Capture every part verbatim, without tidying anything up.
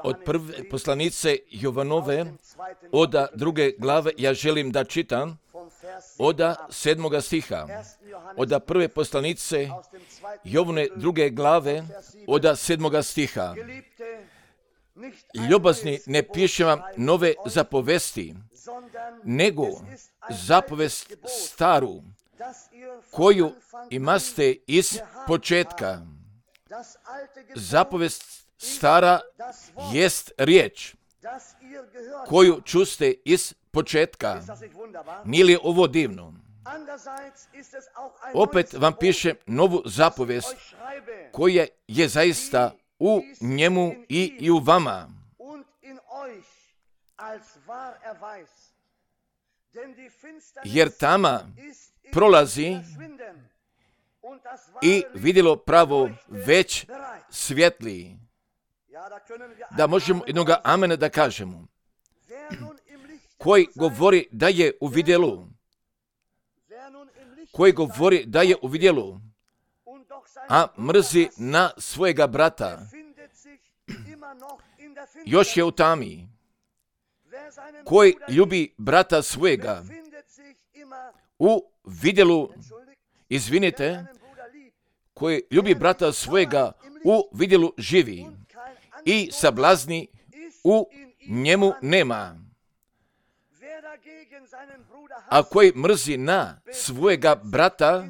od prve poslanice Jovanove, od druge glave, ja želim da čitam od sedmoga stiha, od prve poslanice Jovane druge glave, od sedmoga stiha. Ljubazni, ne pišem vam nove zapovesti, nego zapovest staru, koju imaste iz početka. Zapovest stara jest riječ, koju čuste iz početka. Nije li ovo divno? Opet vam pišem novu zapovest, koja je zaista u njemu i, i u vama. Jer tama prolazi i vidjelo pravo već svjetli. Da možemo jednoga amena da kažemo. Koji govori da je u vidjelu. Koji govori da je u vidjelu, a mrzi na svojega brata, još je u tami. Koji ljubi brata svojega, u vidjelu, izvinite, koji ljubi brata svojega, u vidjelu živi i sablazni u njemu nema. A koji mrzi na svojega brata,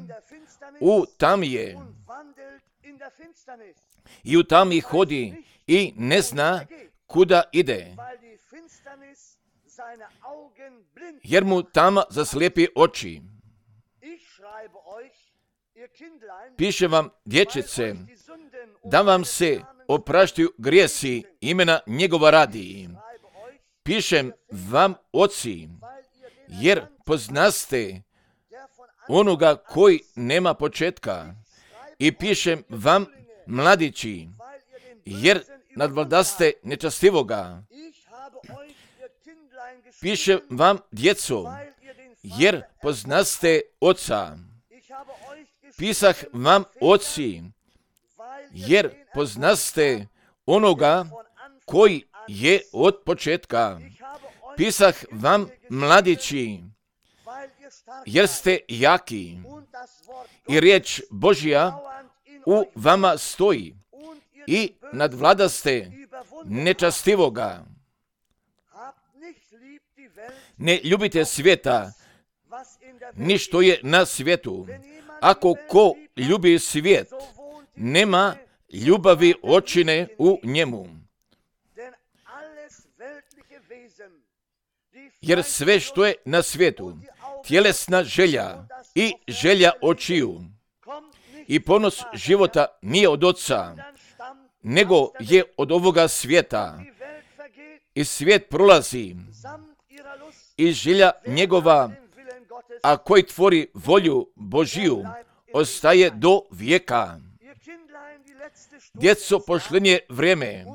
u tami je i u tami hodi i ne zna kuda ide, jer mu tama zaslijepi oči. Piše vam, dječice, da vam se opraštaju grijesi imena njegova radi. Pišem vam, oci, jer poznaste onoga koji nema početka. I pišem vam, mladići, jer nadvladaste nečastivoga. Pišem vam, djeco, jer poznaste oca. Pisah vam, oci, jer poznaste onoga koji je od početka. Pisah vam, mladići, jer ste jaki i riječ Božja u vama stoji i nadvladaste nečastivoga. Ne ljubite svijeta, ni što je na svijetu. Ako ko ljubi svijet, nema ljubavi očine u njemu. Jer sve što je na svijetu, tjelesna želja i želja očiju i ponos života nije od Oca, nego je od ovoga svijeta. I svijet prolazi i želja njegova, a koji tvori volju Božiju, ostaje do vijeka. Djeco, pošlenje vrijeme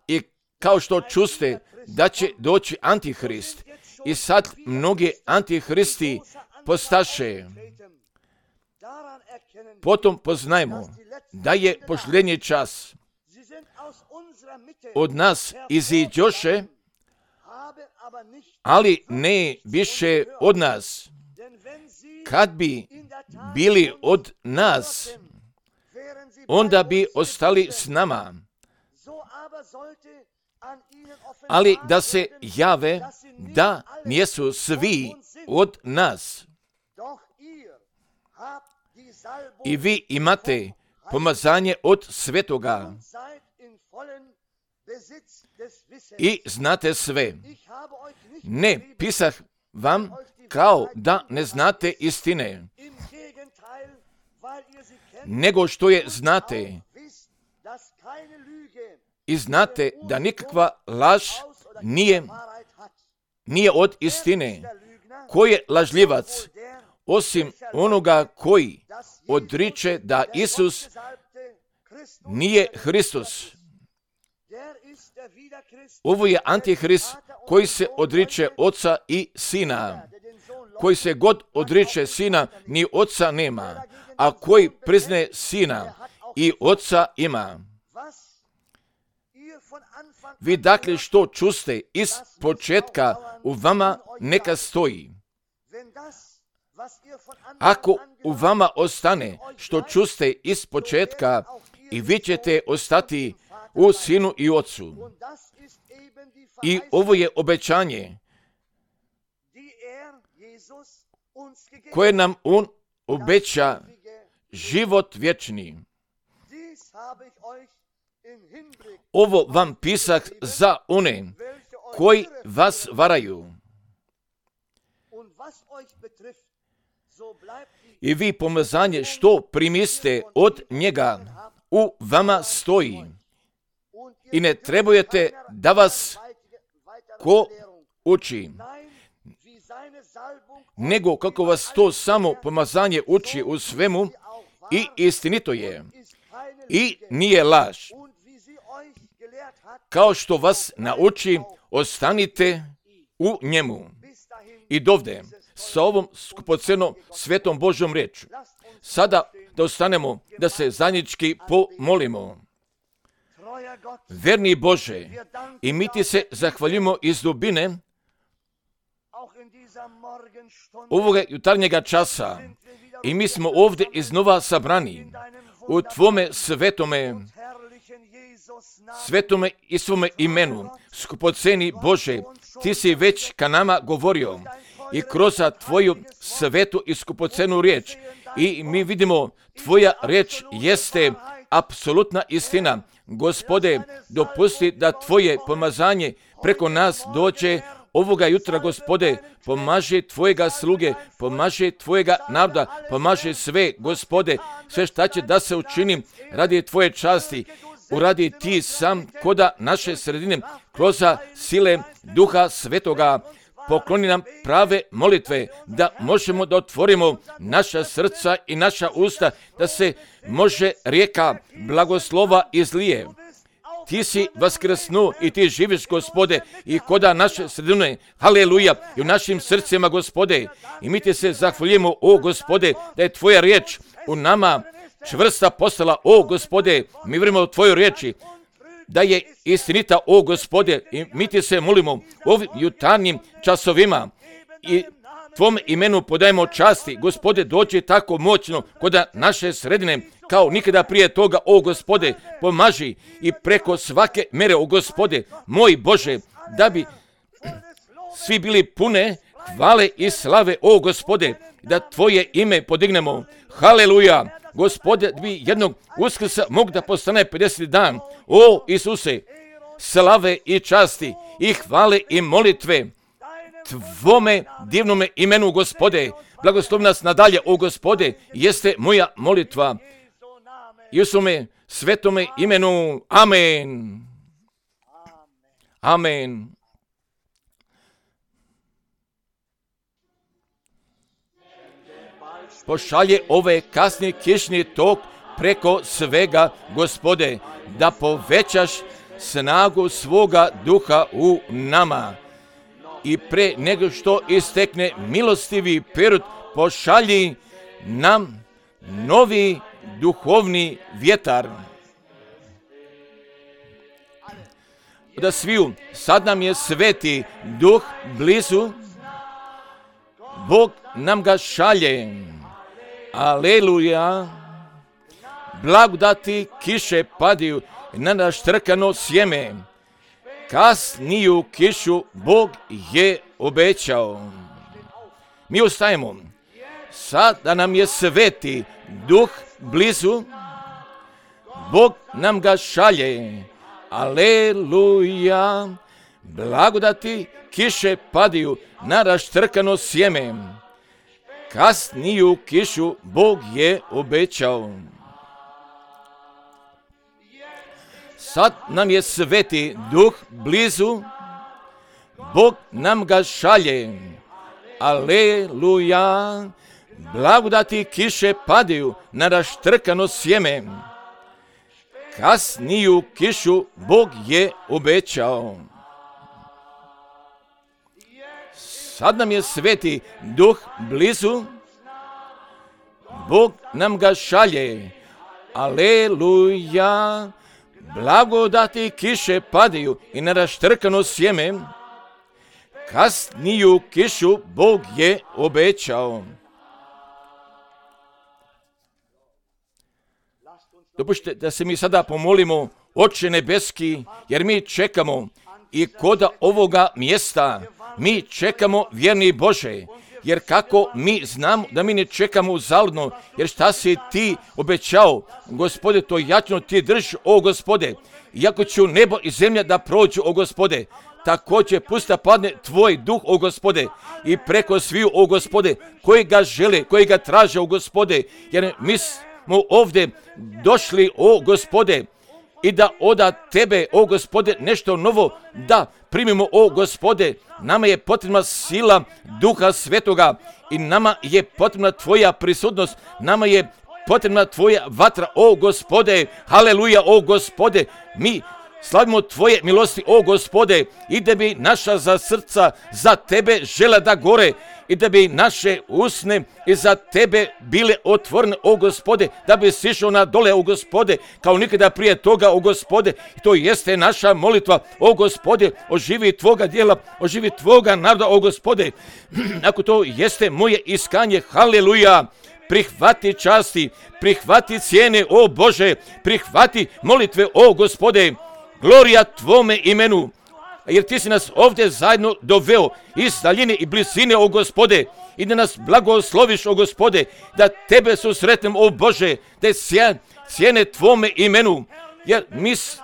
i kao što čuste da će doći Antihrist i sad mnogi Antihristi postaše. Potom poznajmo da je pošlenje čas. Od nas iziđoše, ali ne više od nas. Kad bi bili od nas, onda bi ostali s nama. Ali da se jave da nijesu svi od nas. I vi imate pomazanje od svetoga i znate sve. Ne pisah vam kao da ne znate istine, nego što je znate. I znate da nikakva laž nije, nije od istine. Ko je lažljivac, osim onoga koji odriče da Isus nije Hristos? Ovo je Antihrist koji se odriče Oca i Sina. Koji se god odriče Sina, ni Oca nema, a koji priznaje Sina i Oca ima. Vi dakle što čuste iz početka u vama neka stoji. Ako u vama ostane što čuste iz početka, i vi ćete ostati u Sinu i Ocu. I ovo je obećanje koje nam On obeća, život vječni. Ovo vam pisah za one koji vas varaju. I vi pomazanje što primiste od njega u vama stoji. I ne trebujete da vas ko uči, nego kako vas to samo pomazanje uči u svemu i istinito je. I nije laž. Kao što vas nauči, ostanite u njemu. I dovde, sa ovom skupocenom svetom Božjom riječu. Sada da ostanemo, da se zajednički pomolimo. Verni Bože, i mi ti se zahvaljujemo iz dubine ovoga jutarnjega časa. I mi smo ovdje iznova sabrani u Tvome svetome, svetome i svome imenu. Skupoceni Bože, Ti si već ka nama govorio i kroz Tvoju svetu i skupocenu riječ. I mi vidimo, Tvoja riječ jeste apsolutna istina. Gospode, dopusti da Tvoje pomazanje preko nas dođe ovoga jutra, Gospode. Pomaži Tvojega sluge, pomaži Tvojega naroda, pomaži sve, Gospode, sve šta će da se učini radi Tvoje časti. Uradi Ti sam koda naše sredine, kroz sile Duha Svetoga. Pokloni nam prave molitve, da možemo da otvorimo naša srca i naša usta, da se može rijeka blagoslova izlije. Ti si vaskrsnu i Ti živiš, Gospode, i koda naše sredine, haleluja, i u našim srcima, Gospode. I mi Ti se zahvaljujemo, o Gospode, da je Tvoja riječ u nama čvrsta postala, o Gospode. Mi vjerujemo u Tvoju riječi, da je istinita, o Gospode, i mi Ti se molimo ovim jutarnjim časovima i Tvom imenu podajemo časti. Gospode, dođi tako moćno kod naše sredine kao nikada prije toga, o Gospode, pomaži i preko svake mere, o Gospode, moj Bože, da bi svi bili pune hvale i slave, o Gospode, da Tvoje ime podignemo. Haleluja! Gospode, da bi jednog Uskrsa mogu da postane pedeseti dan. O Isuse, slave i časti i hvale i molitve Tvome divnome imenu, Gospode. Blagoslovi nas nadalje, o Gospode, jeste moja molitva. I u svome svetome imenu. Amen. Amen. Pošalje ove kasni kišni tok preko svega, Gospode, da povećaš snagu svoga duha u nama. I pre nego što istekne milostivi period, pošalji nam novi duhovni vjetar. Da sviju, sad nam je sveti duh blizu, Bog nam ga šalje. Aleluja. Blagodati kiše padaju na naštrkano sjeme. Kasniju kišu Bog je obećao. Mi ostajemo. Sada nam je sveti duh blizu, Bog nam ga šalje. Aleluja. Blagodati kiše padaju na raštrkano sjeme. Kasniju kišu Bog je obećao. Sad nam je sveti duh blizu, Bog nam ga šalje. Aleluja. Blagodati kiše padaju na raštrkano sjeme. Kasniju kišu Bog je obećao. Sad nam je sveti duh blizu, Bog nam ga šalje. Aleluja. blagodati kiše padaju i na raštrkano sjeme, kasniju kišu Bog je obećao. Dopustite da se mi sada pomolimo, Oče nebeski, jer mi čekamo i koda ovoga mjesta, mi čekamo, vjerni Bože, jer kako mi znamo da mi ne čekamo uzaludno, jer šta si ti obećao, Gospode, to jačno ti drži, o Gospode, iako će nebo i zemlja da prođu, o Gospode, također pusta padne tvoj duh, o Gospode, i preko sviju, o Gospode, koji ga žele, koji ga traže, o Gospode, jer mi smo ovdje došli, o Gospode, i da oda tebe, o Gospode, nešto novo da primimo, o Gospode. Nama je potrebna sila Duha Svetoga i nama je potrebna tvoja prisutnost, nama je potrebna tvoja vatra, o Gospode. Haleluja, o Gospode. Mi slavimo tvoje milosti, o Gospode, i da bi naša za srca za tebe žela da gore, i da bi naše usne i za tebe bile otvorene, o Gospode, da bi sišao na dole, o Gospode, kao nikada prije toga, o Gospode. I to jeste naša molitva, o Gospode, oživi tvoga djela, oživi tvoga naroda, o Gospode. Ako to jeste moje iskanje, haleluja, prihvati časti, prihvati cijene, o Bože, prihvati molitve, o Gospode. Glorija tvome imenu, jer ti si nas ovdje zajedno doveo iz daljine i blizine, o Gospode, i da nas blagosloviš, o Gospode, da tebe susretnem, o Bože, da je cijene tvome imenu, jer, mis,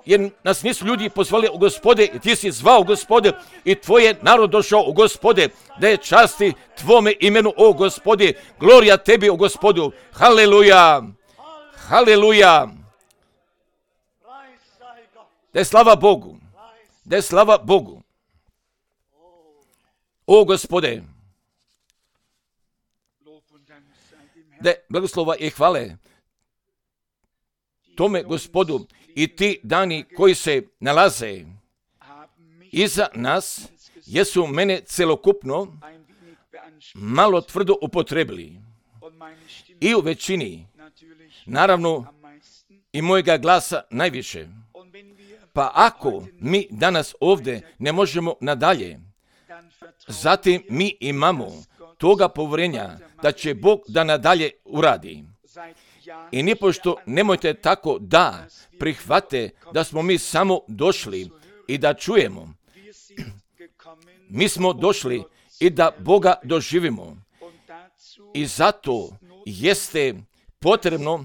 jer nas nisu ljudi pozvali, o Gospode, i ti si zvao, Gospode, i tvoje narod došao, o Gospode, da je časti tvome imenu, o Gospode. Glorija tebi, o Gospodu. Haleluja, haleluja. Da je slava Bogu, da je slava Bogu. O Gospode, da je blagoslova i hvale tome Gospodu i ti dani koji se nalaze iza nas, jesu mene celokupno malo tvrdo upotrebili i u većini, naravno i mojega glasa najviše. Pa ako mi danas ovdje ne možemo nadalje, zatim mi imamo toga povjerenja da će Bog da nadalje uradi. I nipošto nemojte tako da prihvate da smo mi samo došli i da čujemo. Mi smo došli i da Boga doživimo. I zato jeste potrebno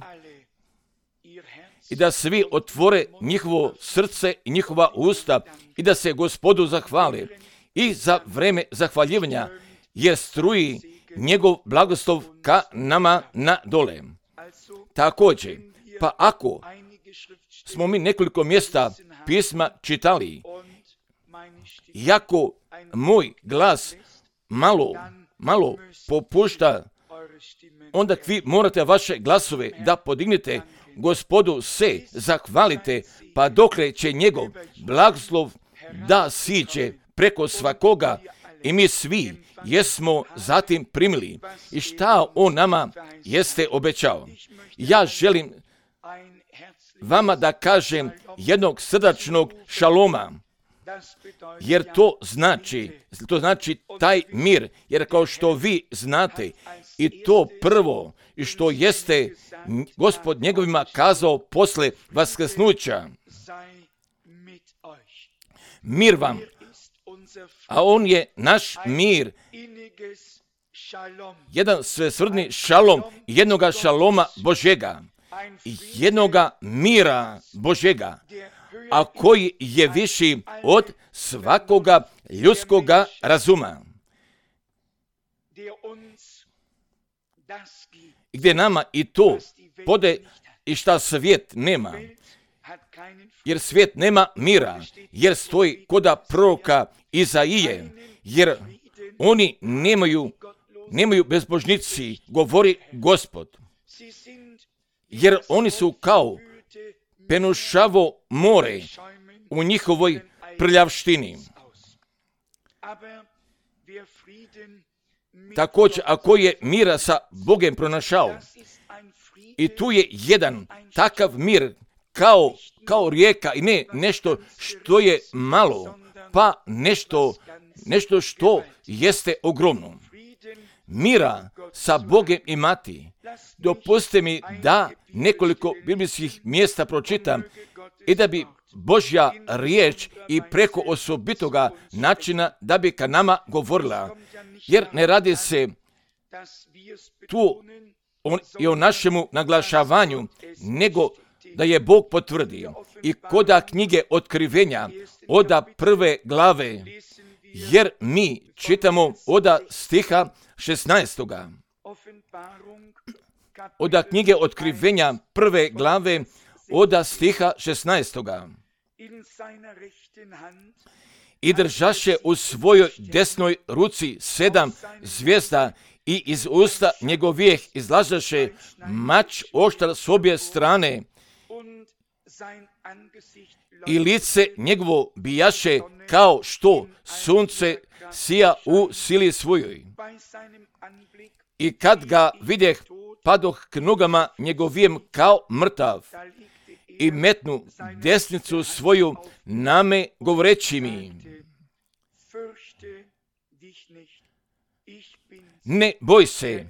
i da svi otvore njihovo srce i njihova usta i da se Gospodu zahvale. I za vreme zahvaljivanja jer struji njegov blagoslov ka nama na dole. Također, pa ako smo mi nekoliko mjesta pisma čitali, jako moj glas malo, malo popušta, onda vi morate vaše glasove da podignete, Gospodu se zahvalite, pa dokle će njegov blagoslov da siđe preko svakoga i mi svi jesmo zatim primili. I šta on nama jeste obećao? Ja želim vama da kažem jednog srdačnog šaloma, jer to znači, to znači taj mir, jer kao što vi znate, i to prvo, i što jeste Gospod njegovima kazao posle vaskrsnuća, mir vam, a on je naš mir, jedan svesrdni šalom, jednoga šaloma Božega, jednoga mira Božega, a koji je viši od svakoga ljudskoga razuma. Gdje nama i to pode i šta svijet nema. Jer svijet nema mira, jer stoji koda proroka Izaije, jer oni nemaju, nemaju bezbožnici, govori Gospod. Jer oni su kao penušavo more u njihovoj prljavštini. Također, ako je mira sa Bogem pronašao, i tu je jedan takav mir kao, kao rijeka i ne nešto što je malo, pa nešto, nešto što jeste ogromno. Mira sa Bogom imati. Dopustite mi da nekoliko biblijskih mjesta pročitam i da bi Božja riječ i preko osobitoga načina da bi ka nama govorila. Jer ne radi se tu on, i o našemu naglašavanju, nego da je Bog potvrdio. I koda knjige Otkrivenja, oda prve glave, jer mi čitamo oda stiha šesnaestoga. Oda knjige Otkrivenja prve glave, oda stiha šesnaestoga. I držaše u svojoj desnoj ruci sedam zvijezda i iz usta njegovijeh izlažaše mač oštar s obje strane i lice njegovo bijaše kao što sunce sija u sili svojoj. I kad ga vidjeh, padoh k nogama njegovijem kao mrtav i metnu desnicu svoju name govoreći mi: ne boj se,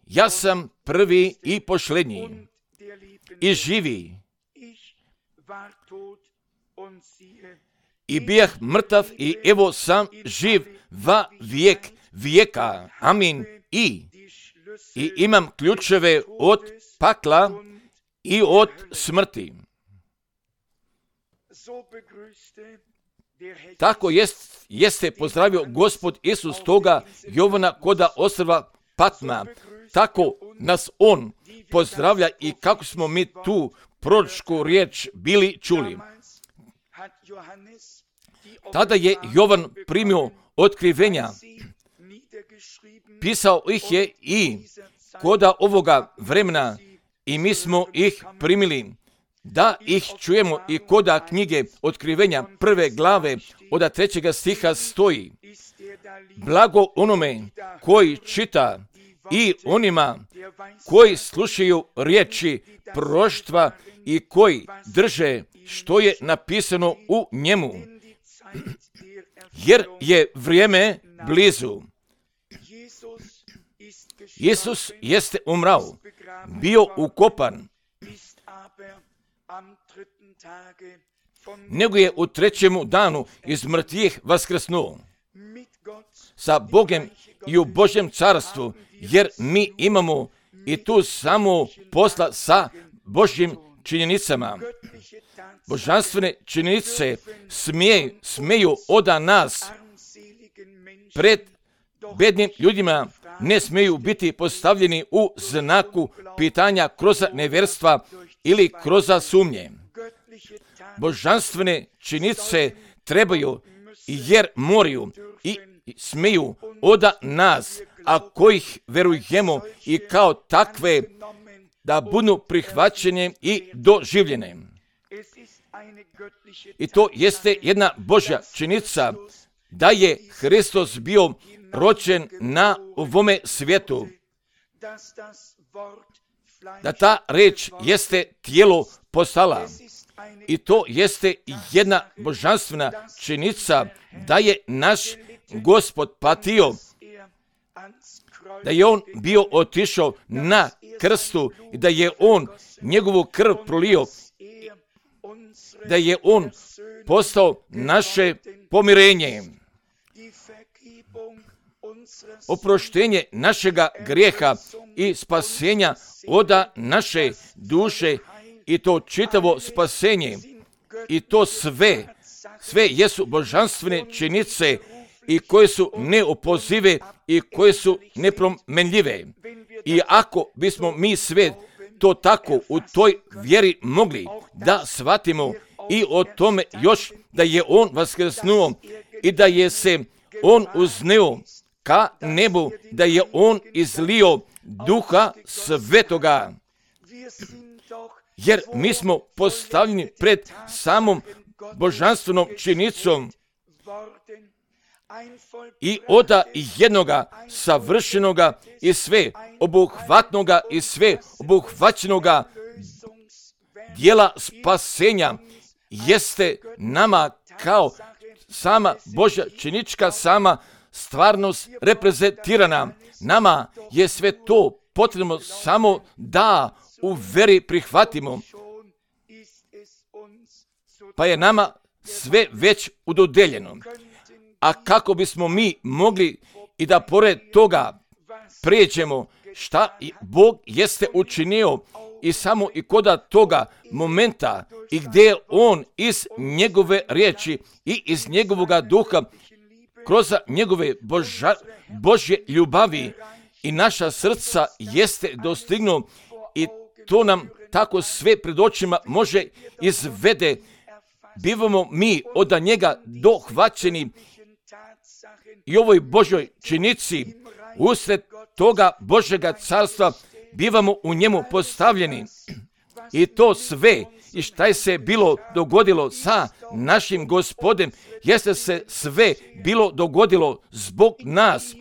ja sam prvi i posljednji i živi. I bijah mrtav i evo sam živ va vijek vijeka. Amin. I, i imam ključeve od pakla i od smrti. Tako jest, jeste pozdravio Gospod Isus toga Jovana koda ostrva Patma. Tako nas On pozdravlja i kako smo mi tu proročku riječ bili čuli. Tada je Jovan primio otkrivenja, pisao ih je i koda ovoga vremena i mi smo ih primili da ih čujemo i koda knjige Otkrivenja prve glave od trećega stiha stoji: blago onome koji čita i onima koji slušaju riječi proroštva i koji drže što je napisano u njemu, jer je vrijeme blizu. Isus jeste umrao, bio ukopan, nego je u trećemu danu iz mrtvih vaskrsnuo sa Bogom i u Božjem carstvu, jer mi imamo i tu samo posla sa Božjim činjenicama. Božanstvene činjenice smije, smeju oda nas pred bednim ljudima ne smiju biti postavljeni u znaku pitanja kroz nevjerstva ili kroz sumnje. Božanstvene činjenice trebaju jer moraju i smiju oda nas, a kojih verujemo i kao takve da budu prihvaćene i doživljene. I to jeste jedna Božja činjenica da je Hristos bio rođen na ovome svijetu, da ta reč jeste tijelo postala. I to jeste jedna božanstvena činjenica da je naš Gospod patio, da je on bio otišao na krstu i da je on njegovu krv prolio, da je on postao naše pomirenje, oproštenje našega grijeha i spasenja oda naše duše, i to čitavo spasenje. I to sve, sve jesu božanstvene činjenice i koje su neopozive i koje su nepromenljive. I ako bismo mi sve to tako u toj vjeri mogli da shvatimo i o tome još da je on vaskrsnuo i da je se on uzneo ka nebu, da je on izlio Duha Svetoga. Jer mi smo postavljeni pred samom božanstvenom činjenicom i oda jednoga savršenoga i sve obuhvatnoga i sve obuhvaćenoga dijela spasenja jeste nama kao sama Božja činička, sama stvarnost reprezentirana. Nama je sve to potrebno samo da u veri prihvatimo, pa je nama sve već udodeljeno. A kako bismo mi mogli i da pored toga prijeđemo šta Bog jeste učinio i samo i koda toga momenta i gdje je On iz njegove riječi i iz njegovoga duha kroz njegove Boža, Božje ljubavi i naša srca jeste dostignuo i to nam tako sve pred očima može izvede. Bivamo mi od njega dohvaćeni i ovoj Božoj činici usred toga Božjega carstva bivamo u njemu postavljeni. I to sve i šta je se bilo dogodilo sa našim Gospodem, jeste se sve bilo dogodilo zbog nas.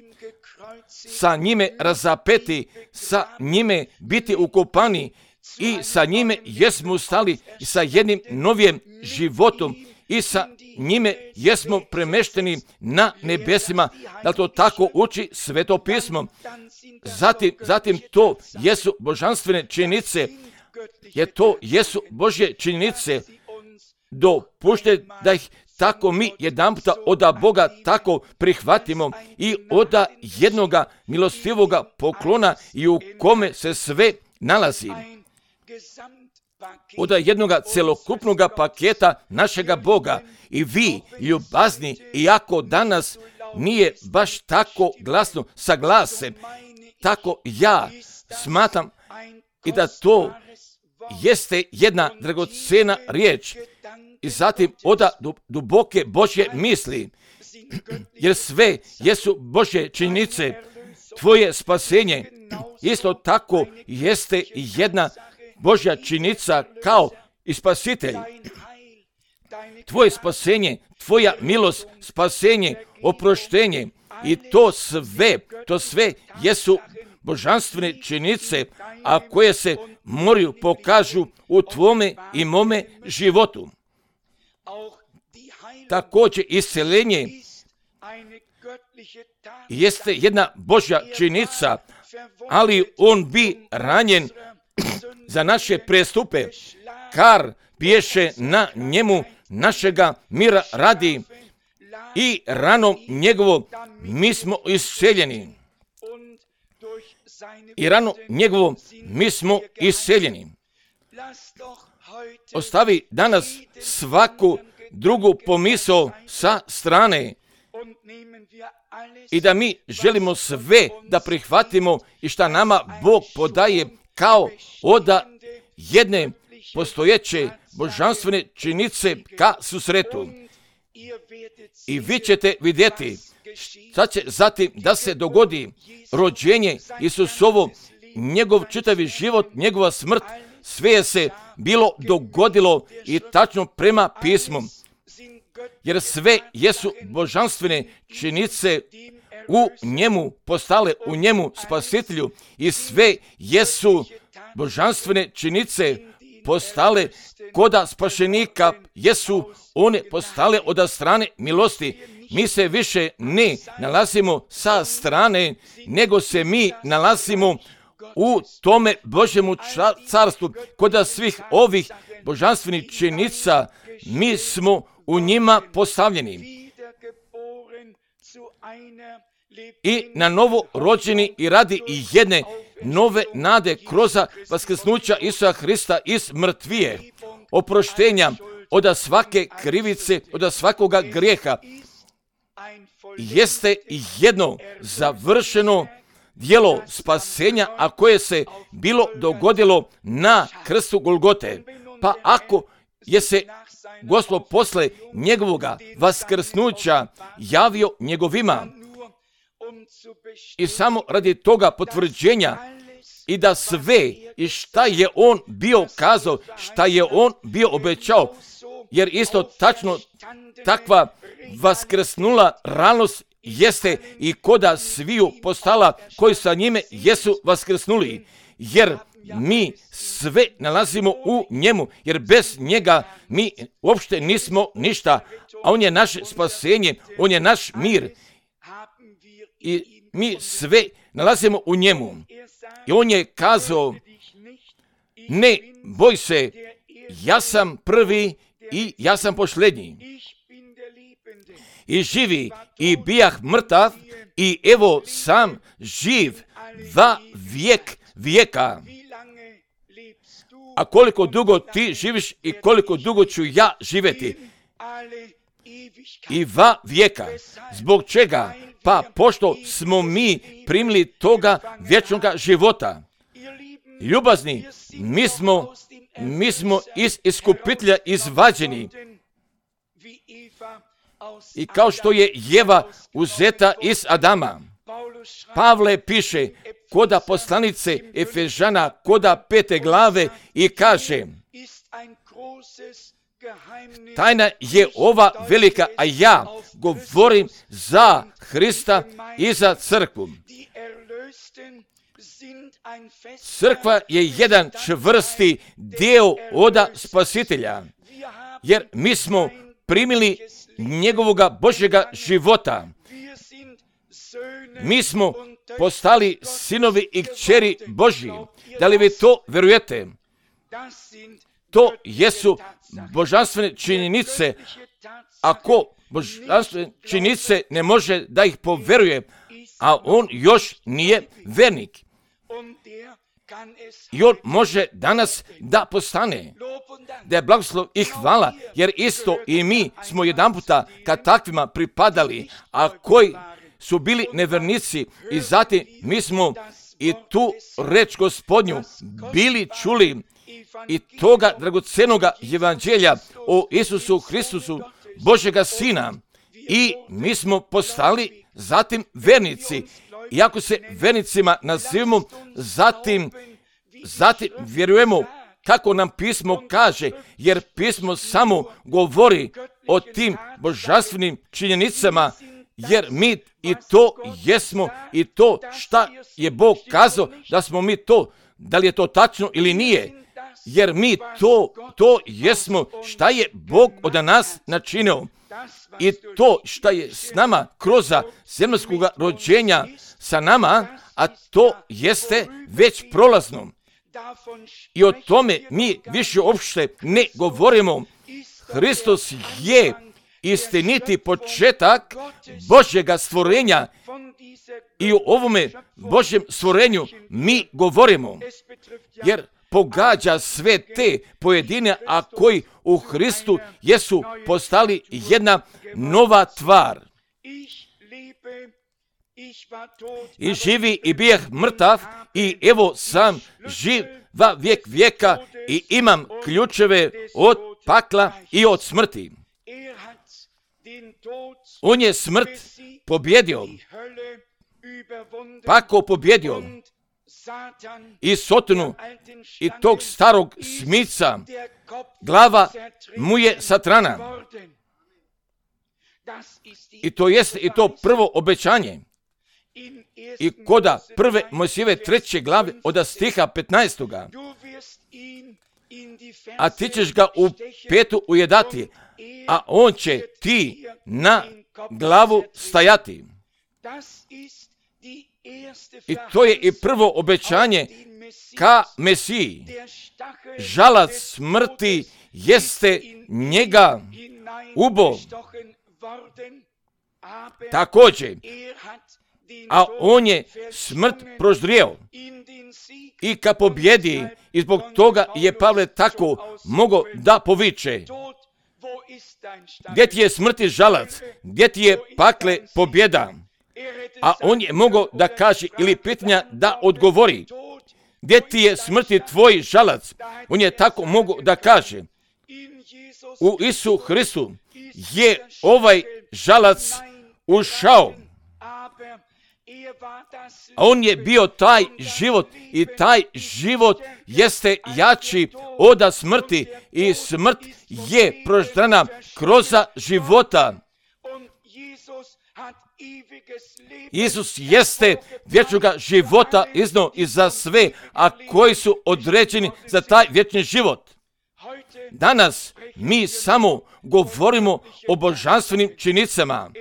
Sa njime razapeti, sa njime biti ukopani i sa njime jesmo ustali i sa jednim novim životom i sa njime jesmo premešteni na nebesima, da to tako uči Sveto pismo. Zatim, zatim to jesu božanstvene činjenice, jer to jesu Božje činjenice, dopušte da ih tako mi jedan puta od Boga tako prihvatimo i od jednoga milostivoga poklona i u kome se sve nalazi. Od jednoga celokupnog paketa našega Boga. I vi, ljubazni, iako danas nije baš tako glasno saglase, tako ja smatram i da to jeste jedna dragocena riječ i zatim od duboke Božje misli, jer sve jesu Božje činjenice. Tvoje spasenje isto tako jeste jedna Božja činjenica kao i spasitelj. Tvoje spasenje, tvoja milost, spasenje, oproštenje i to sve, to sve jesu božanstvene činjenice, a koje se moraju pokažu u tvome i mome životu. Također isceljenje jeste jedna Božja činjenica, ali on bi ranjen za naše prestupe, kar biješe na njemu našega mira radi i ranom njegovom mi smo isceljeni. I ranom njegovom mi smo isceljeni. Ostavi danas svaku drugu pomisao sa strane i da mi želimo sve da prihvatimo i šta nama Bog podaje kao od jedne postojeće božanstvene činjenice ka susretu. I vi ćete vidjeti šta će zatim da se dogodi rođenje Isusovo, njegov čitavi život, njegova smrt, sve je se bilo dogodilo i tačno prema pismu. Jer sve jesu božanstvene činjenice u njemu postale, u njemu spasitelju i sve jesu božanstvene činjenice postale koda spašenika, jesu one postale od strane milosti. Mi se više ne nalazimo sa strane, nego se mi nalazimo u tome Božjemu carstvu. Koda svih ovih božanstvenih činjenica mi smo u njima postavljeni. I na novo rođeni i radi i jedne nove nade kroz vaskrsnuća Isusa Hrista iz mrtvije, oproštenja od svake krivice, od svakoga grijeha. Jeste jedno završeno djelo spasenja, a koje se bilo dogodilo na krstu Golgote. Pa ako je se Gospod posle njegovoga vaskrsnuća javio njegovima i samo radi toga potvrđenja i da sve i šta je on bio kazao, šta je on bio obećao, jer isto tačno takva vaskrsnula realnost jeste i koda sviju postala koji sa njime jesu vaskrsnuli, jer mi sve nalazimo u njemu, jer bez njega mi uopšte nismo ništa, a on je naše spasenje, on je naš mir i mi sve nalazimo u njemu. I on je kazao, ne boj se, ja sam prvi i ja sam posljednji. I živi i bijah mrtav i evo sam živ va vijek vijeka. A koliko dugo ti živiš i koliko dugo ću ja živjeti? I va vijeka. Zbog čega? Pa pošto smo mi primili toga vječnoga života. Ljubazni, mi smo, mi smo iz iskupitelja izvađeni. I kao što je Jeva uzeta iz Adama. Pavle piše koda poslanice Efežana, koda pete glave i kaže, tajna je ova velika, a ja govorim za Hrista i za crkvu. Crkva je jedan čvrsti dio oda Spasitelja, jer mi smo primili njegovoga Božjega života. Mi smo postali sinovi i kćeri Božji. Da li vi to vjerujete? To jesu božanstvene činjenice. Ako božanstvene činjenice ne može da ih poveruje, a on još nije vernik. I on može danas da postane. Da je blagoslov i hvala, jer isto i mi smo jedan puta kad takvima pripadali, a koji su bili nevernici i zatim mi smo i tu reč Gospodnju bili čuli i toga dragocenoga evanđelja o Isusu Hristusu, Božjega Sina, i mi smo postali zatim vernici. Iako se vernicima nazivamo, zatim, zatim vjerujemo kako nam pismo kaže, jer pismo samo govori o tim božanstvenim činjenicama, jer mi i to jesmo i to šta je Bog kazao da smo mi to, da li je to tačno ili nije, jer mi to, to jesmo šta je Bog od nas načinio. I to šta je s nama kroz zemaljskog rođenja sa nama, a to jeste već prolazno. I o tome mi više uopšte ne govorimo. Hristos je istiniti početak Božjega stvorenja i o ovome Božjem stvorenju mi govorimo, jer pogađa sve te pojedine, a koji u Hristu jesu postali jedna nova tvar. I živi i bijeh mrtav i evo sam živ va vijek vijeka i imam ključeve od pakla i od smrti. On je smrt pobjedio, pakao pobjedio i Sotonu i tog starog smica, glava mu je Satrana. I to jeste i to prvo obećanje. I koda prve Mojsijeve treće glave od stiha petnaestoga. A ti ćeš ga u petu ujedati, a on će ti na glavu stajati. I to je i prvo obećanje ka Mesiji. Žalac smrti jeste njega ubo. Također, a on je smrt proždrijeo i ka pobjedi, i zbog toga je Pavle tako mogao da poviče. Gdje ti je smrti žalac, gdje ti je pakle pobjeda? A on je mogao da kaže ili pitanja da odgovori. Gdje ti je smrti tvoj žalac? On je tako mogao da kaže. U Isu Hristu je ovaj žalac ušao. A on je bio taj život i taj život jeste jači od smrti i smrt je proždrana kroz života. Isus jeste vječnoga života iznio i za sve, a koji su određeni za taj vječni život. Danas mi samo govorimo o božanstvenim činjenicama.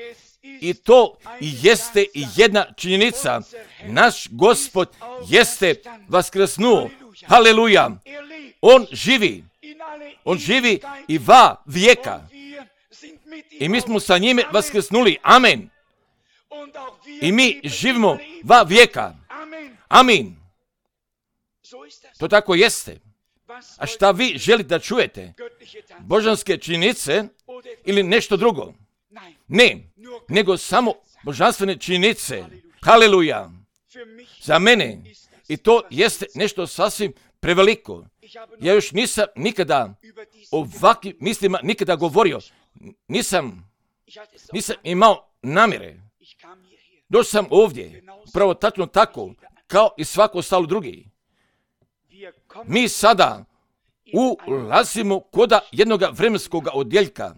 I to jeste jedna činjenica. Naš Gospod jeste vaskrsnuo. Haleluja! On živi. On živi i va vijeka. I mi smo sa njime vaskrsnuli. Amen. I mi živimo va vijeka. Amin. To tako jeste. A šta vi želite da čujete? Božanske činjenice ili nešto drugo? Ne, nego samo božanstvene činjenice. Haleluja! Za mene. I to jeste nešto sasvim preveliko. Ja još nisam nikada ovakvim mislima nikada govorio. Nisam, nisam imao namjere. Došao sam ovdje, pravo tačno tako, kao i svako ostalo drugi. Mi sada ulazimo koda jednog vremenskog odjeljka,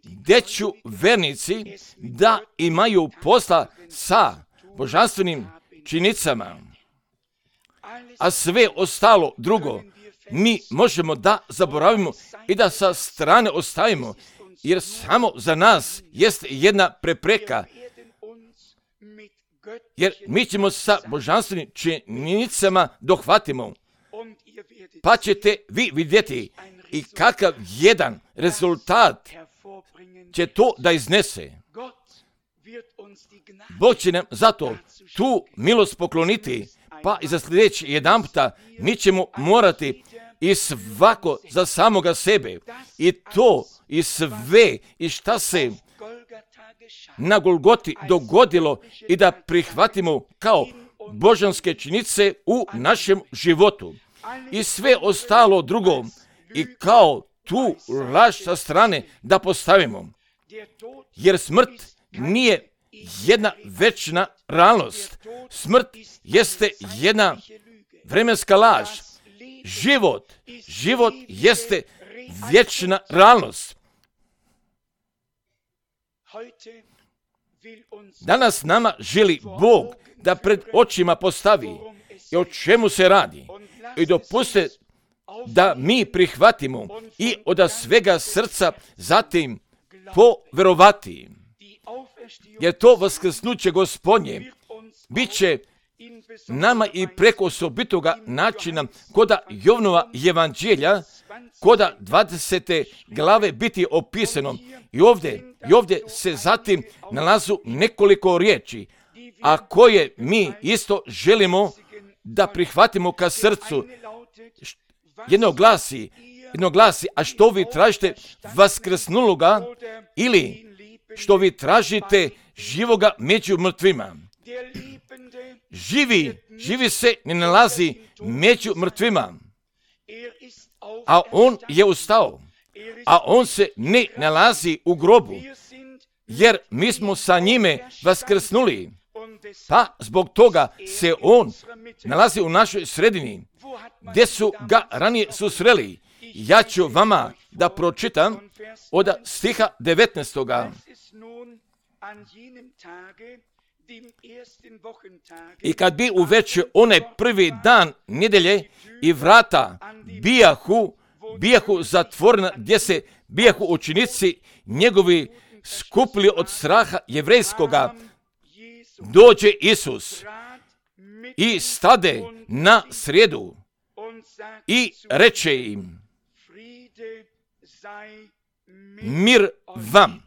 gdje ću vernici da imaju posla sa božanstvenim činjenicama, a sve ostalo drugo mi možemo da zaboravimo i da sa strane ostavimo, jer samo za nas jest jedna prepreka, jer mi ćemo sa božanstvenim činjenicama dohvatimo, pa ćete vi vidjeti i kakav jedan rezultat će to da iznese. Bog će nam zato tu milost pokloniti, pa i za sljedeći jedan puta mi ćemo morati i svako za samoga sebe i to i sve i šta se na Golgoti dogodilo i da prihvatimo kao božanske činjenice u našem životu. I sve ostalo drugo i kao tu laž sa strane da postavimo. Jer smrt nije jedna večna realnost. Smrt jeste jedna vremenska laž. Život, život jeste vječna realnost. Danas nama želi Bog da pred očima postavi i o čemu se radi. I dopuste da mi prihvatimo i od svega srca zatim poverovati. Jer to vaskrsnuće Gospodnje bit će nama i preko osobitoga načina koda Jovnova evanđelja, koda dvadesete glave biti opisano. I ovdje, i ovdje se zatim nalazu nekoliko riječi, a koje mi isto želimo da prihvatimo ka srcu. Jedno glasi, jedno glasi, a što vi tražite vaskrsnuloga ili što vi tražite živoga među mrtvima? Živi, živi se ne nalazi među mrtvima, a on je ustao, a on se ne nalazi u grobu, jer mi smo sa njime vaskrsnuli, pa zbog toga se on nalazi u našoj sredini, gdje su ga ranije susreli. Ja ću vama da pročitam od stiha devetnaestoga. I kad bi uveče onaj prvi dan nedelje i vrata bijahu, bijahu zatvorena, gdje se bijahu učenici njegovi skupili od straha jevrejskoga, dođe Isus i stade na sredu i reče im: mir vam.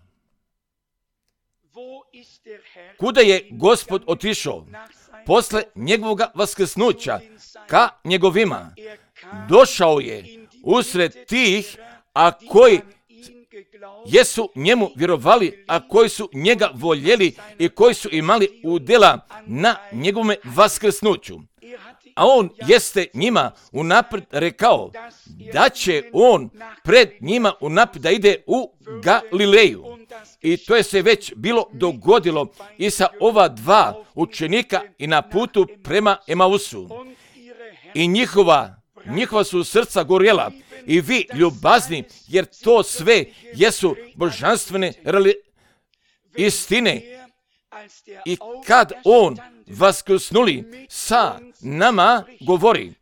Kuda je Gospod otišao posle njegovoga vaskrsnuća ka njegovima? Došao je usred tih, a koji jesu njemu vjerovali, a koji su njega voljeli i koji su imali udjela na njegovome vaskrsnuću. A on jeste njima unaprijed rekao da će on pred njima unaprijed da ide u Galileju. I to je se već bilo dogodilo i sa ova dva učenika i na putu prema Emausu. I njihova, njihova su srca gorjela i vi ljubazni, jer to sve jesu božanstvene istine. i kad on vaskrsnuli sa nama govori,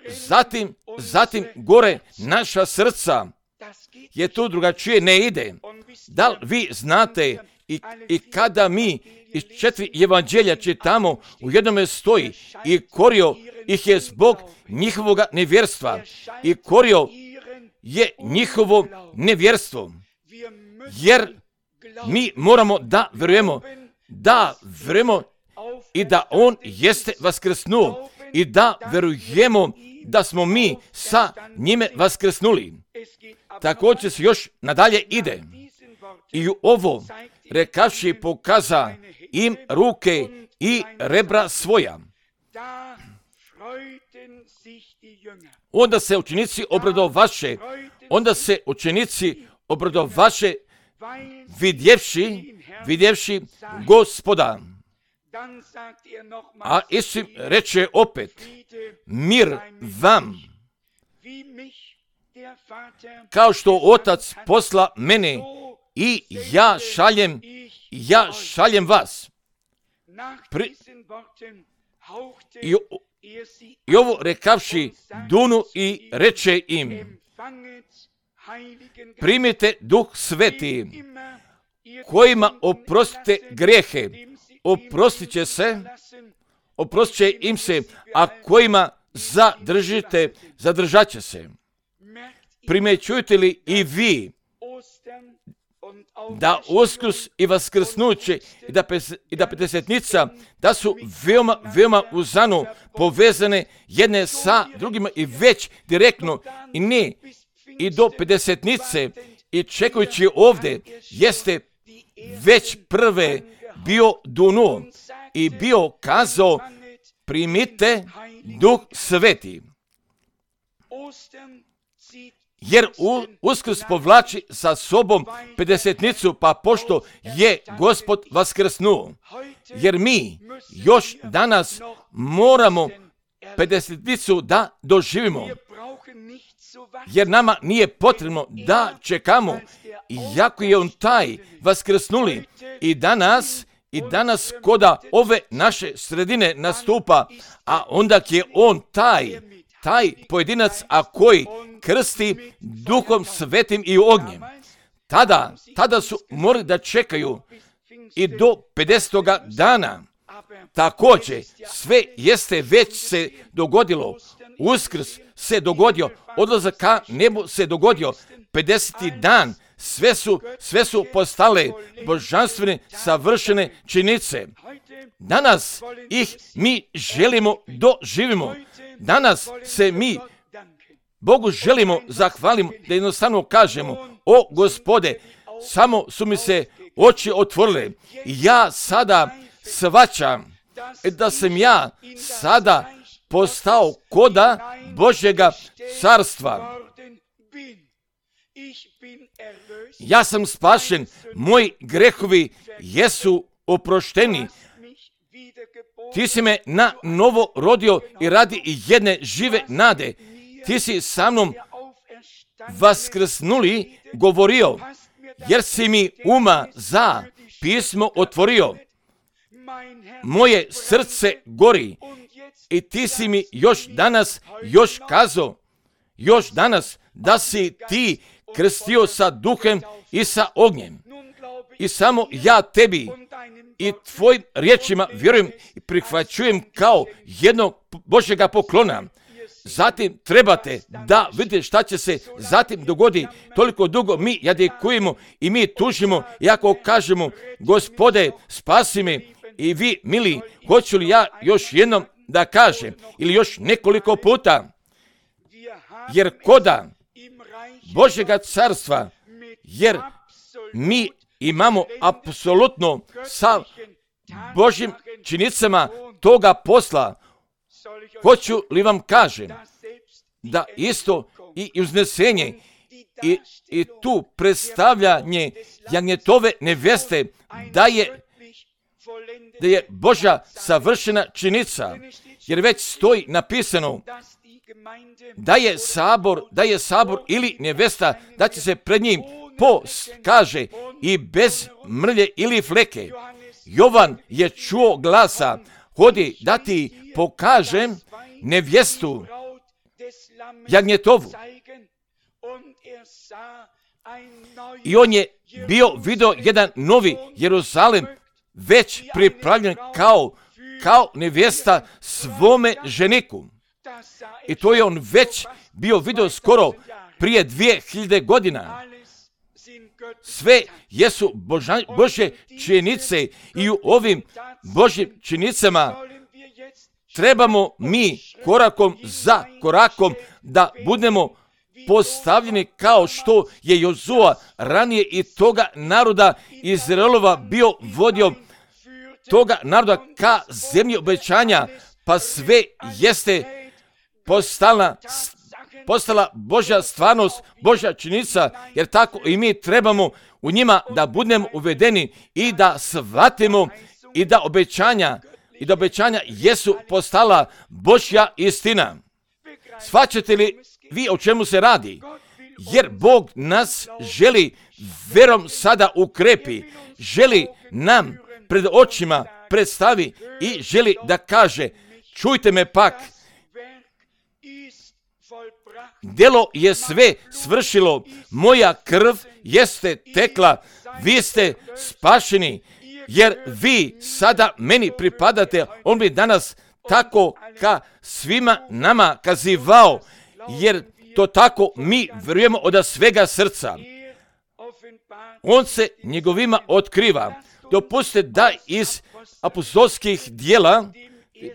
zatim, zatim gore naša srca, je tu drugačije ne ide. Da li vi znate i, i kada mi iz četiri evanđelja čitamo, u jednome stoji i korio ih je zbog njihovoga nevjerstva i korio je njihovo nevjerstvo. Jer mi moramo da vjerujemo, da vjerujemo i da on jeste vaskrsnuo i da vjerujemo da smo mi sa njime vaskrsnuli. Također se još nadalje ide. I u ovo rekavši pokaza im ruke i rebra svoja. Onda se učenici obradovaše, onda se učenici obradovaše vidjevši, vidjevši Gospoda. A Isus reče opet, mir vam, kao što Otac posla mene i ja šaljem, ja šaljem vas. Pri... I, I ovo rekavši dunu i reče im, primite Duh Sveti, kojima oprostite grijehe, oprostit će se, oprostit će im se, a kojima zadržite, zadržat će se. Primećujete li i vi da Uskrs i Vaskrsnuće i da, pes, i da Pedesetnica, da su veoma, veoma uzano povezane jedne sa drugima i već direktno i ne i do Pedesetnice i čekajući ovdje jeste već prve bio dunu i bio kazao primite Duh Sveti. Jer Uskrs povlači sa sobom Pedesetnicu, pa pošto je Gospod vaskrsnuo. Jer mi još danas moramo Pedesetnicu da doživimo. Jer nama nije potrebno da čekamo, iako je on taj vaskrsnuli i danas, i danas koda ove naše sredine nastupa, a onda je on taj, taj pojedinac, a koji krsti Duhom Svetim i ognjem. Tada, tada su morali da čekaju i do pedesetoga dana. Također, sve jeste već se dogodilo. Uskrs se dogodio, odlazak ka nebu se dogodio, pedeseti dan, sve su, sve su postale božanstvene, savršene činjenice. Danas ih mi želimo doživimo. Danas se mi Bogu želimo zahvalimo, da jednostavno kažemo, o Gospode, samo su mi se oči otvorile. Ja sada shvaćam da sam ja sada postao koda Božjega carstva. Ja sam spašen, moji grehovi jesu oprošteni. Ti si me na novo rodio i radi jedne žive nade. Ti si sa mnom vaskrsnuli govorio, jer si mi uma za pismo otvorio. Moje srce gori i ti si mi još danas, još kazao, još danas da si ti krstio sa duhem i sa ognjem. I samo ja tebi i tvojim riječima vjerujem i prihvaćujem kao jednog Božjega poklona. Zatim trebate da vidite šta će se zatim dogodi. Toliko dugo mi jadikujemo i mi tužimo, iako kažemo, Gospode, spasi me. I vi, mili, hoću li ja još jednom da kažem ili još nekoliko puta, jer koda Božjega carstva, jer mi imamo apsolutno sa Božjim činjenicama toga posla. Hoću li vam kažem da isto i uznesenje i, i tu predstavljanje jagnjetove neveste da je, da je Božja savršena činjenica, jer već stoji napisano da je sabor, da je sabor ili nevesta, da će se pred njim post, kaže, i bez mrlje ili fleke. Jovan je čuo glasa, hodi da ti pokažem nevjestu jagnjetovu. I on je bio vidio jedan novi Jeruzalem već pripravljen kao, kao nevjesta svome ženiku. I to je on već bio vidio skoro prije dvije hiljade godina. Sve jesu Boža, Božje činjenice i u ovim Božjim činjenicama trebamo mi korakom za korakom da budemo postavljeni kao što je Jozua ranije i toga naroda Izraelova bio vodio toga naroda ka zemlji obećanja, pa sve jeste postala, postala Božja stvarnost, Božja činjenica, jer tako i mi trebamo u njima da budemo uvedeni i da shvatimo i da obećanja i da obećanja jesu postala Božja istina. Shvaćate li vi o čemu se radi? Jer Bog nas želi verom sada ukrepi, želi nam pred očima predstavi i želi da kaže, čujte me pak, djelo je sve svršilo, moja krv jeste tekla, vi ste spašeni, jer vi sada meni pripadate. On bi danas tako ka svima nama kazivao, jer to tako mi vjerujemo od svega srca. On se njegovima otkriva. Dopustite da iz apostolskih djela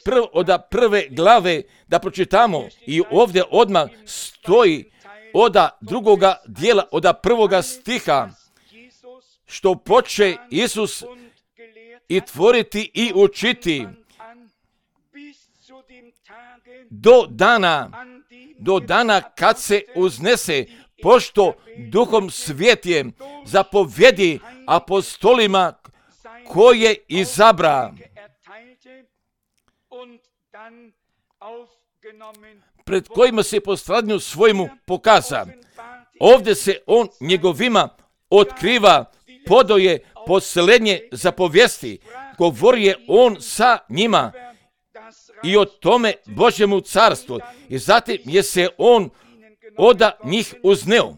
prv, od prve glave da pročitamo i ovdje odmah stoji od drugoga dijela, od prvoga stiha, što poče Isus i tvoriti i učiti do dana, do dana kad se uznese, pošto Duhom Svjetije zapovjedi apostolima koje izabra, pred kojima se po stradanju svojmu pokaza. Ovdje se on njegovima otkriva, podoje posljednje zapovijesti, govori je on sa njima i o tome Božjemu carstvu. I zatim je se on od njih uzneo.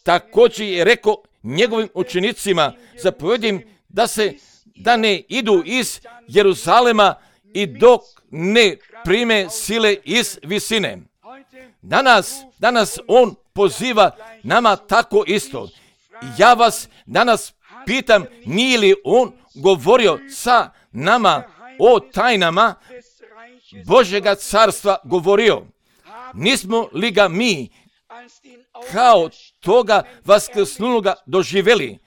Također je rekao njegovim učenicima, zapovjedim da se da ne idu iz Jeruzalema i dok ne prime sile iz visine. Danas, danas on poziva nama tako isto. Ja vas danas pitam, nije li on govorio sa nama o tajnama Božjega carstva govorio? Nismo li ga mi kao toga vaskrsnuloga doživjeli?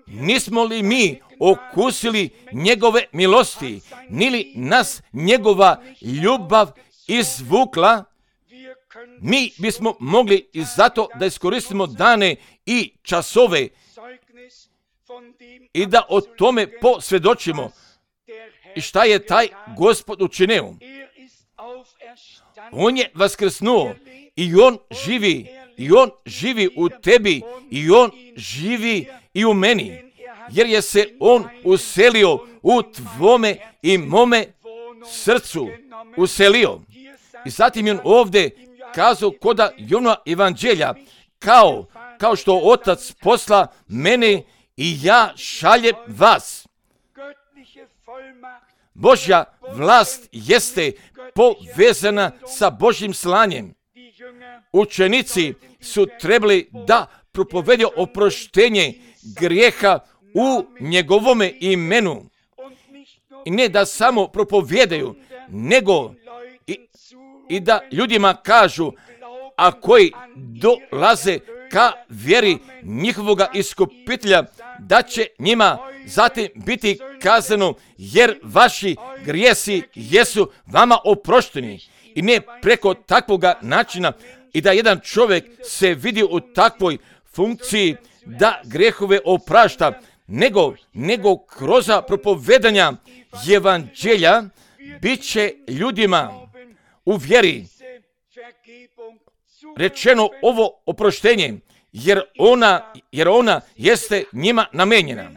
Nismo li mi okusili njegove milosti? Nili nas njegova ljubav izvukla? Mi bismo mogli i zato da iskoristimo dane i časove i da o tome posvjedočimo. I šta je taj Gospod učinio? On je vaskrsnuo i on živi, i on živi u tebi, i on živi i u meni, jer je se on uselio u tvome i mome srcu, uselio. I zatim je on ovdje kazao koda Jona evanđelja, kao, kao što Otac posla mene i ja šaljem vas. Božja vlast jeste povezana sa Božjim slanjem. Učenici su trebali da propovedu oproštenje grijeha u njegovome imenu. I ne da samo propovedaju, nego i, i da ljudima kažu, a koji dolaze ka vjeri njihovoga iskupitelja, da će njima zatim biti kazano, jer vaši grijesi jesu vama oprošteni. I ne preko takvoga načina i da jedan čovjek se vidi u takvoj funkciji da grijehove oprašta, nego, nego kroz propovedanja evanđelja bit će ljudima u vjeri rečeno ovo oproštenje, jer ona, jer ona jeste njima namenjena.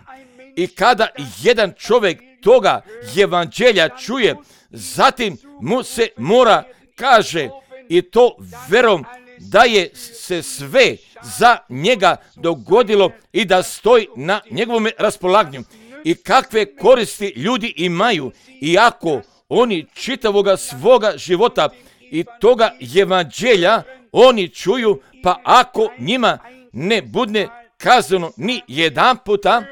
I kada jedan čovjek toga evanđelja čuje, zatim mu se mora kaže i to verom da je se sve za njega dogodilo i da stoji na njegovom raspolaganju. I kakve koristi ljudi imaju, iako oni čitavoga svoga života i toga evanđelja oni čuju, pa ako njima ne bude kazano ni jedan puta,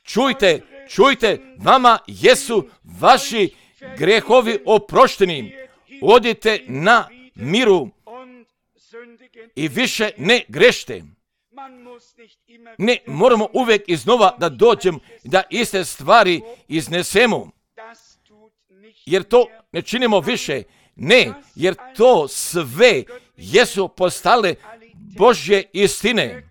čujte, čujte, vama jesu vaši grehovi oprošteni, odite na miru i više ne grešte. Ne moramo uvijek iznova da dođemo, da iste stvari iznesemo, jer to ne činimo više. Ne, jer to sve jesu postale Božje istine,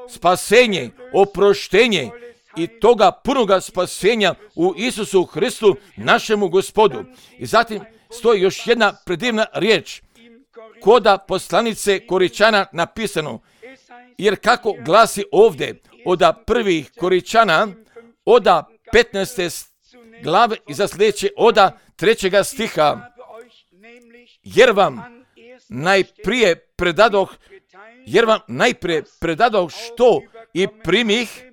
spasenje, oproštenje i toga punoga spasenja u Isusu Hristu, našemu Gospodu. I zatim stoji još jedna predivna riječ, koda poslanice Koričana napisano, jer kako glasi ovdje, oda prvih Koričana, oda petnaeste glave i za sljedeće oda trećega stiha, jer vam najprije predadoh, jer vam najprije predadoh što i primih,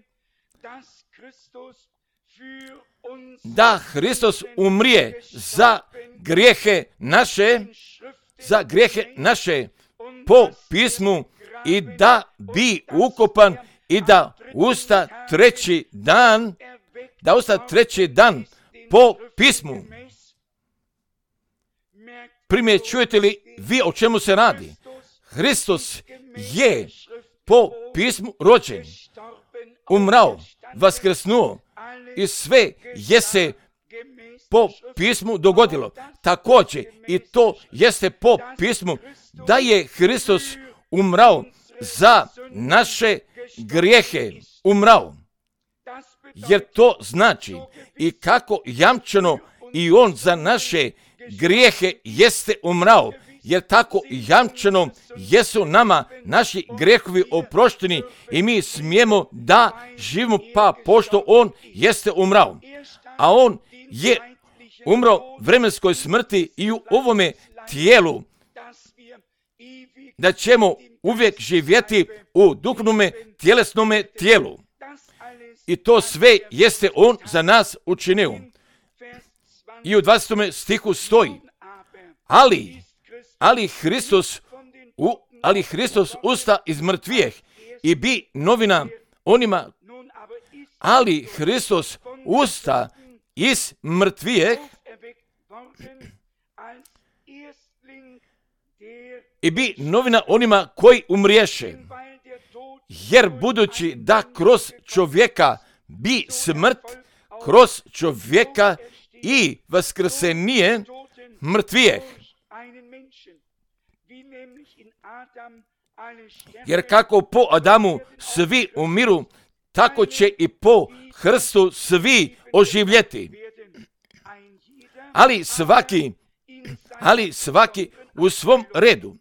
da Hristos umrije za grijehe naše, za grijehe naše po pismu i da bi ukopan i da usta treći dan, da usta treći dan po pismu. Primjećujete li vi o čemu se radi? Hristos je po pismu rođen, umrao, vaskrsnuo i sve je se po pismu dogodilo. Također i to jeste po pismu da je Hristos umrao za naše grijehe, umrao. Jer to znači i kako jamčeno i on za naše grijehe jeste umrao, jer tako jamčeno jesu nama naši grijehovi oprošteni i mi smijemo da živimo pa pošto on jeste umrao. A on je umrao vremenskoj smrti i u ovome tijelu, da ćemo uvijek živjeti u duhovnome tjelesnome tijelu. I to sve jeste on za nas učinio. I u dvadesetom stihu stoji, ali, ali Hristos, u, ali Hristos usta iz mrtvijeh i bi novina onima, ali Hristos usta iz mrtvijeh i bi novina onima koji umriješe, jer budući da kroz čovjeka bi smrt, kroz čovjeka i vaskrsenije mrtvijeh. Jer kako po Adamu svi umiru, tako će i po Hrstu svi oživjeti. Ali svaki, ali svaki u svom redu.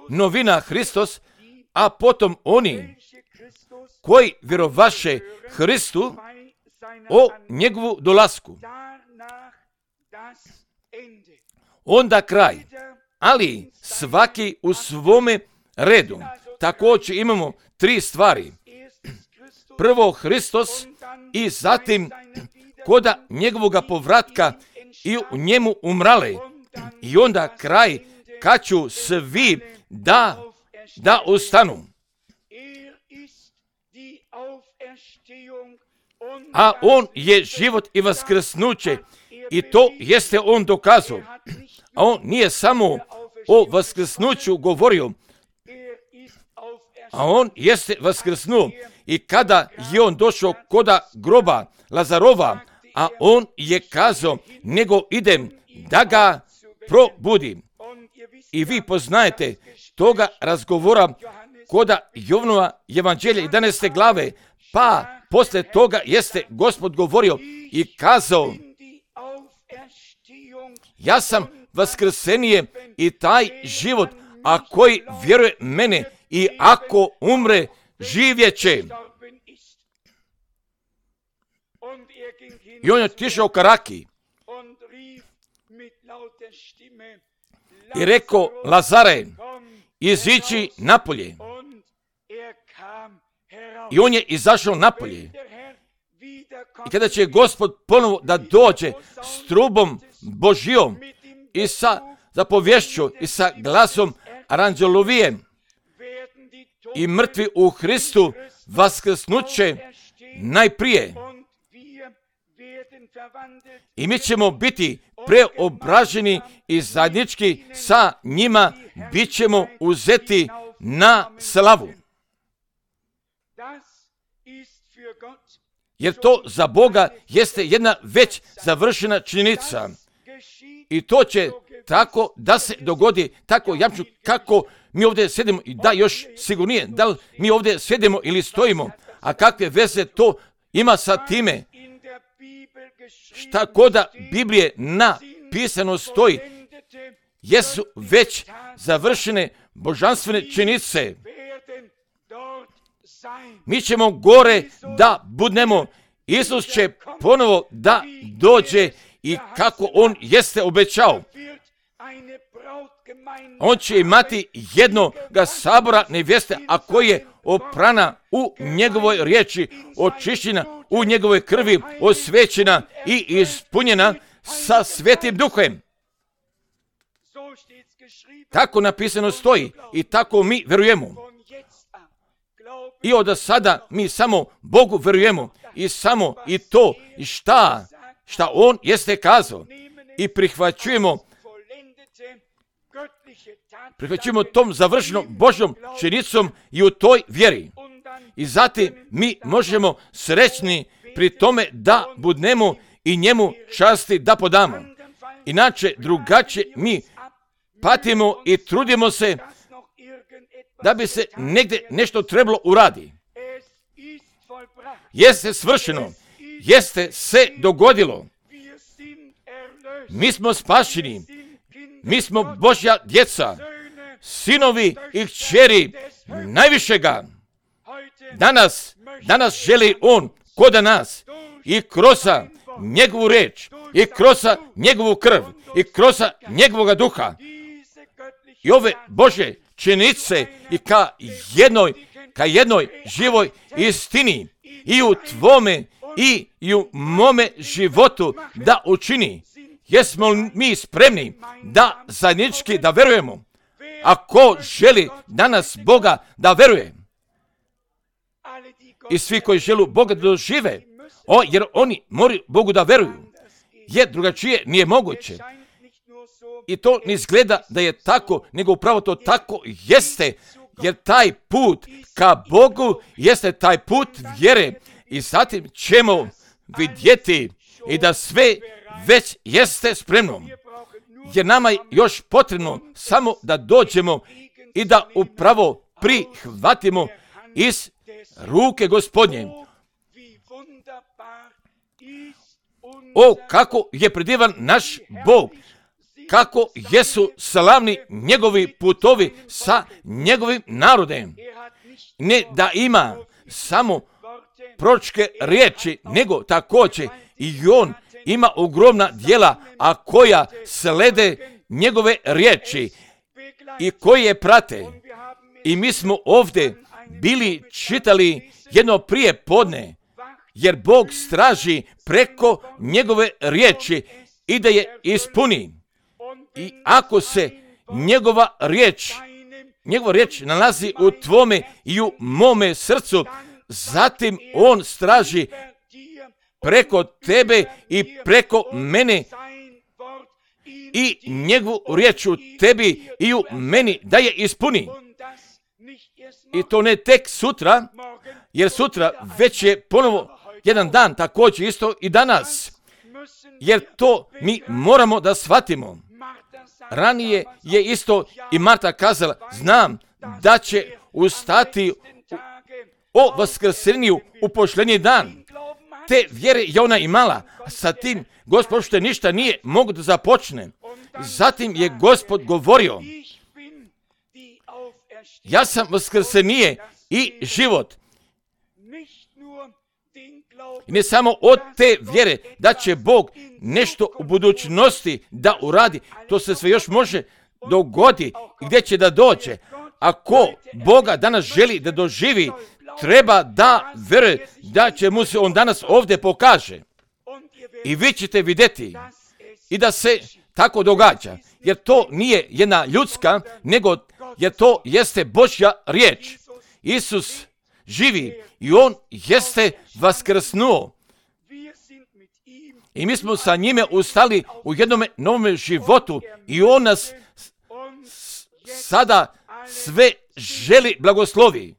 Novina Hristos, a potom oni koji vjerovaše Hristu o njegovu dolasku. Onda kraj. Ali svaki u svome redu. Također imamo tri stvari. Prvo Hristos i zatim koda njegovoga povratka i u njemu umrale. I onda kraj kad ću svi da, da ostanu. A on je život i vaskrsnuće i to jeste on dokazao. A on nije samo o vaskrsnuću govorio, a on jeste vaskrsnuo. I kada je on došao koda groba Lazarova, a on je kazao, nego idem da ga probudim. I vi poznajete toga razgovora koda Jovanova evanđelja jedanaeste glave, pa posle toga jeste Gospod govorio i kazao, ja sam vaskrsenije i taj život, a koji vjeruje mene i ako umre, živjet će. I on je otišao ka Raki i rekao, Lazare, izići napolje. I on je izašao napolje. I kada će Gospod ponovo da dođe s trubom Božjom i sa zapovješću i sa glasom aranđelovijem i mrtvi u Hristu vaskrsnuće najprije. I mi ćemo biti preobraženi i zajednički sa njima bit ćemo uzeti na slavu. Jer to za Boga jeste jedna već završena činjenica. I to će tako da se dogodi, tako jamču kako mi ovdje sjedimo i da još sigurnije, da li mi ovdje sjedimo ili stojimo, a kakve veze to ima sa time. Šta koda Biblije napisano stoji, jesu već završene božanstvene činjenice. Mi ćemo gore da budnemo. Isus će ponovo da dođe i kako on jeste obećao. On će imati jednoga sabora nevjeste, a koji je oprana u njegovoj riječi, očišćena u njegovoj krvi, osvećena i ispunjena sa Svetim Duhem. Tako napisano stoji i tako mi verujemo. I od sada mi samo Bogu verujemo i samo i to i šta, šta on jeste kazao i prihvaćujemo prihvaćujemo tom završenom Božjom činjenicom i u toj vjeri. I zatim mi možemo srećni pri tome da budnemo i njemu časti da podamo. Inače, drugačije mi patimo i trudimo se da bi se negdje nešto trebalo uradi. Jeste svršeno, jeste se dogodilo. Mi smo spašeni, mi smo Božja djeca, sinovi i kćeri najvišega. Danas, danas želi on kod nas i kroz njegovu reč, i kroz njegovu krv, i kroz njegovoga duha. I ove Božje činjenice i ka jednoj, ka jednoj živoj istini i u tvome i, i u mome životu da učini. Jesmo mi spremni da zajednički da verujemo? Ako želi danas Boga da veruje, i svi koji žele Boga da dožive, o, jer oni moraju Bogu da veruju, jer drugačije nije moguće. I to ne izgleda da je tako, nego upravo to tako jeste, jer taj put ka Bogu jeste taj put vjere. I zatim ćemo vidjeti i da sve već jeste spremno. Jer nama je još potrebno samo da dođemo i da upravo prihvatimo iz ruke Gospodnje. O, kako je predivan naš Bog, kako jesu slavni njegovi putovi sa njegovim narodem. Ne da ima samo proročke riječi, nego također i on ima ogromna djela, a koja slede njegove riječi i koji je prate. I mi smo ovdje bili čitali jedno prije podne, jer Bog straži preko njegove riječi i da je ispuni. I ako se njegova riječ, njegova riječ nalazi u tvome i u mome srcu, zatim on straži preko tebe i preko mene i njegovu riječ u tebi i u meni da je ispuni. I to ne tek sutra, jer sutra već je ponovo jedan dan, također isto i danas. Jer to mi moramo da shvatimo. Ranije je isto i Marta kazala, znam da će ustati o vaskrsenju u posljednji dan. Te vjere je ona imala, a sa tim Gospod što ništa nije mogu da započne. Zatim je Gospod govorio, ja sam vaskrsenije i život. I ne samo od te vjere da će Bog nešto u budućnosti da uradi, to se sve još može dogodi i gdje će da dođe. Ako Boga danas želi da doživi, treba da vjeruje da će mu se on danas ovdje pokaže. I vi ćete vidjeti i da se tako događa, jer to nije jedna ljudska, nego jer to jeste Božja riječ. Isus živi i on jeste vaskrsnuo. I mi smo sa njime ustali u jednom novom životu i on nas sada sve želi blagoslovi.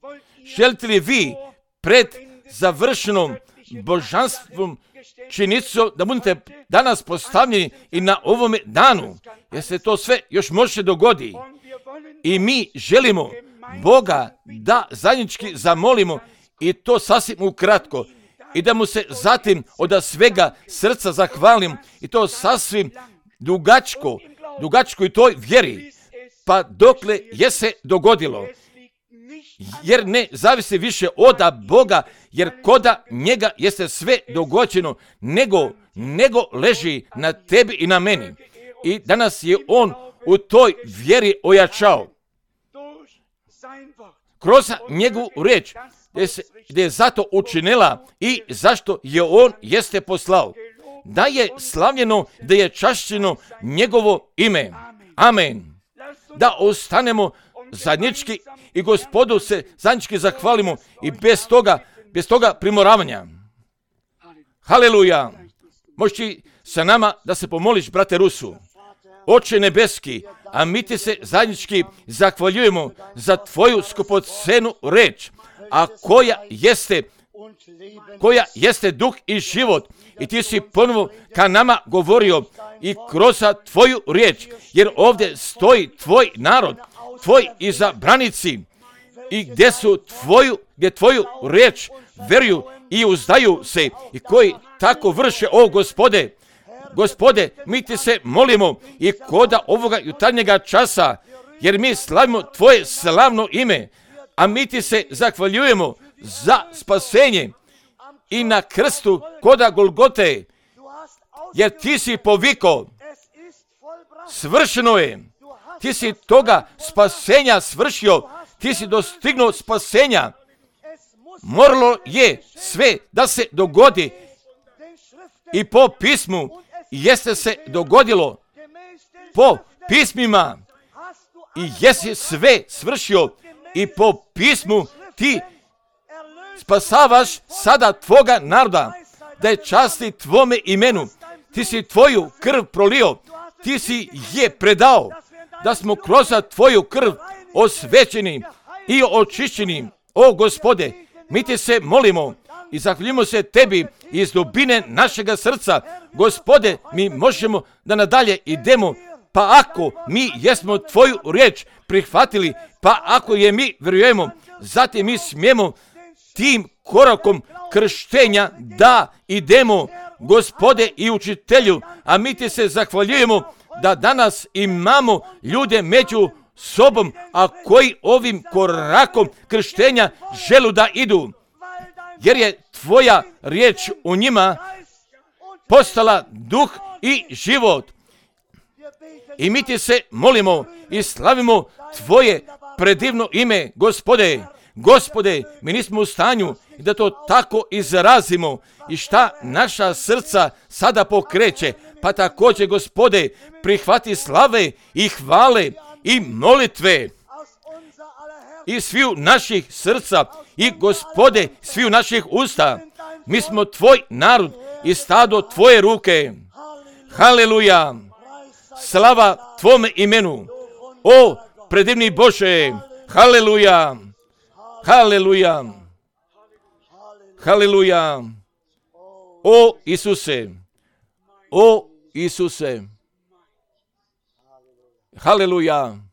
Želite li vi pred završenom božanstvom činjenicom da budete danas postavljeni i na ovome danu, jer se to sve još može dogodi. I mi želimo Boga da zajednički zamolimo i to sasvim ukratko i da mu se zatim od svega srca zahvalim i to sasvim dugačko, dugačko i toj vjeri, pa dokle je se dogodilo. Jer ne zavisi više od Boga, jer koda njega jeste sve dogođeno, nego, nego leži na tebi i na meni. I danas je on u toj vjeri ojačao. Kroz njegovu riječ, gdje, se, gdje je zato učinila i zašto je on jeste poslao. Da je slavljeno, da je čašćeno njegovo ime. Amen. Da ostanemo zajednički i Gospodu se zajednički zahvalimo i bez toga, bez toga primoravanja. Haleluja. Možeš sa nama da se pomoliš, brate Rusu. Oče nebeski, a mi ti se zajednički zahvaljujemo za tvoju skupocenu reč, a koja jeste, koja jeste duh i život. I ti si ponovo ka nama govorio i kroz tvoju riječ, jer ovdje stoji tvoj narod, tvoj izabranici, i gdje su tvoju, gdje tvoju riječ veruju i uzdaju se i koji tako vrše, o Gospode. Gospode, mi ti se molimo i koda ovoga jutarnjega časa, jer mi slavimo tvoje slavno ime, a mi ti se zahvaljujemo za spasenje i na krstu koda Golgote, jer ti si poviko, svršeno je, ti si toga spasenja svršio, ti si dostignuo spasenja. Moralo je sve da se dogodi i po pismu jeste se dogodilo, po pismima i jesi sve svršio i po pismu ti spasavaš sada tvoga naroda, da je časti tvome imenu. Ti si tvoju krv prolio, ti si je predao, da smo kroz tvoju krv osvećeni i očišćeni. O Gospode, mi ti se molimo i zahvaljujemo se tebi iz dubine našega srca. Gospode, mi možemo da nadalje idemo, pa ako mi jesmo tvoju riječ prihvatili, pa ako je mi vjerujemo, zatim mi smijemo tim korakom krštenja da idemo, Gospode i učitelju, a mi ti se zahvaljujemo da danas imamo ljude među sobom, a koji ovim korakom krštenja želu da idu, jer je tvoja riječ u njima postala duh i život. I mi ti se molimo i slavimo tvoje predivno ime, Gospode. Gospode, mi nismo u stanju da to tako izrazimo i šta naša srca sada pokreće, pa također, Gospode, prihvati slave i hvale i molitve i sviju naših srca i, Gospode, sviju naših usta. Mi smo tvoj narod i stado tvoje ruke. Haleluja. Slava tvome imenu. O, predivni Bože. Haleluja. Haleluja. Haleluja. O Isuse. O Isuse. Haleluja.